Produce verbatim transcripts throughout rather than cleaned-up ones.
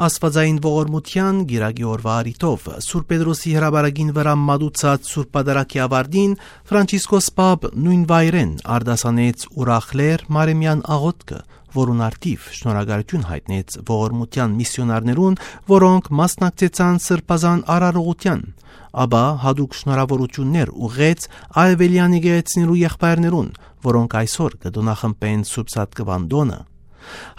Աստուածային ողորմութեան կիրակի օրուայ առիթով Սուրբ Պետրոսի հրապարակին վրայ մատուցած Սուրբ Պատարագի աւարտին Ֆրանցիսկոս Պապ նոյն վայրէն արտասանեց ուրախ լեռ Մարեմեան աղօթքը, որուն առթիւ շնորհակալութիւն յայտնեց ողորմութեան միսիոնարներուն, որոնք մասնակցեցան Սրբազան արարողութեան, ապա յատուկ շնորհաւորութիւններ ուղղեց արեւելեան եկեղեցիներու եղբայրներուն, որոնք այսօր կը տօնախմբեն Սուրբ Սատկուան տօնը։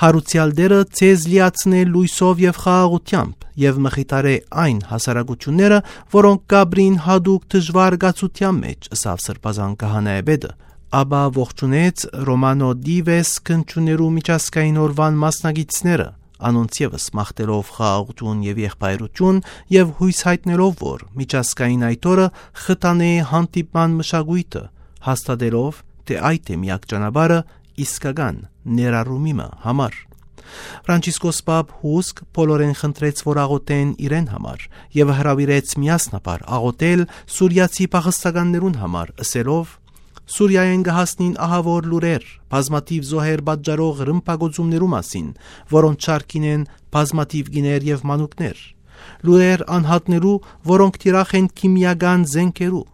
Յարուցեալ Տէրը ձեզ լիացնէ լոյսով եւ խաղաղութեամբ եւ մխիթարէ այն հասարակութիւնները, որոնք կ'ապրին յատուկ դժուար կացութեան մէջ, ըսաւ Սրբազան քահանայապետը։ Ապա ողջունեց Ռոմանո Դիվես քննչուներու միջազգային օրուան մասնակիցները, անոնց եւս մաղթելով խաղաղութիւն եւ եղբայրութիւն եւ յոյս յայտնելով, որ միջազգային այդ օրը խթանէ հանդիպման մշակոյթը, հաստատելով, թէ այդ է միակ ճանապարհը իսկական ներառումի մը համար։ Ֆրանցիսկոս Պապ հուսկ բոլորէն խնդրեց, որ աղօթեն իրեն համար եւ հրաւիրեց միասնաբար աղօթել սուրիացի փախստականներուն համար, ըսելով. «Սուրիայէն կը հասնին ահաւոր լուրեր, բազմաթիւ զոհեր պատճառող ռմբակոծումներու մասին, որոնց շարքին են բազմաթիւ կիներ եւ մանուկներ։ Լուրեր անհատներու, որոնք թիրախ են քիմիական զէնքերու։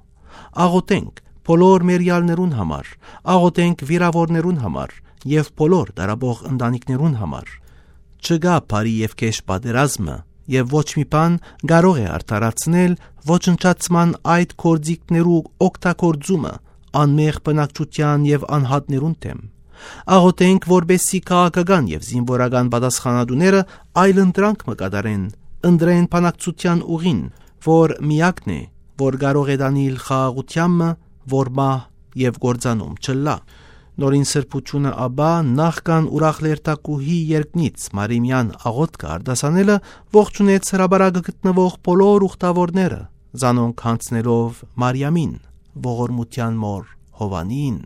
Աղօթենք բոլոր մեռեալներուն համար, աղօթենք վիրաւորներուն համար եւ բոլոր տառապող ընտանիքներուն համար։ Չկայ բարի եւ գէշ պատերազմը եւ ոչ մի բան կարող է արդարացնել ոչնչացման այդ գործիքներու օգտագործումը անմեղ բնակչութեան եւ անհատներուն դէմ։ Աղօթենք, որպեսզի քաղաքական եւ զինուորական պատասխանատուները այլընտրանք մը կատարեն, ընտրեն բանակցութեան ուղին, որ միակն է, որ կարող է տանիլ խաղաղութեան մը, որ մահ եւ կործանում չըլլայ»։ Նորին Սրբութիւնը ապա, նախքան ուրախ լերթակուհի երկնից Մարեմեան աղօթքը արտասանելը, ողջունեց հրապարակը գտնուող բոլոր ուխտաւորները, զանոնք յանձնելով Մարիամին, ողորմութեան մօր Յովանին։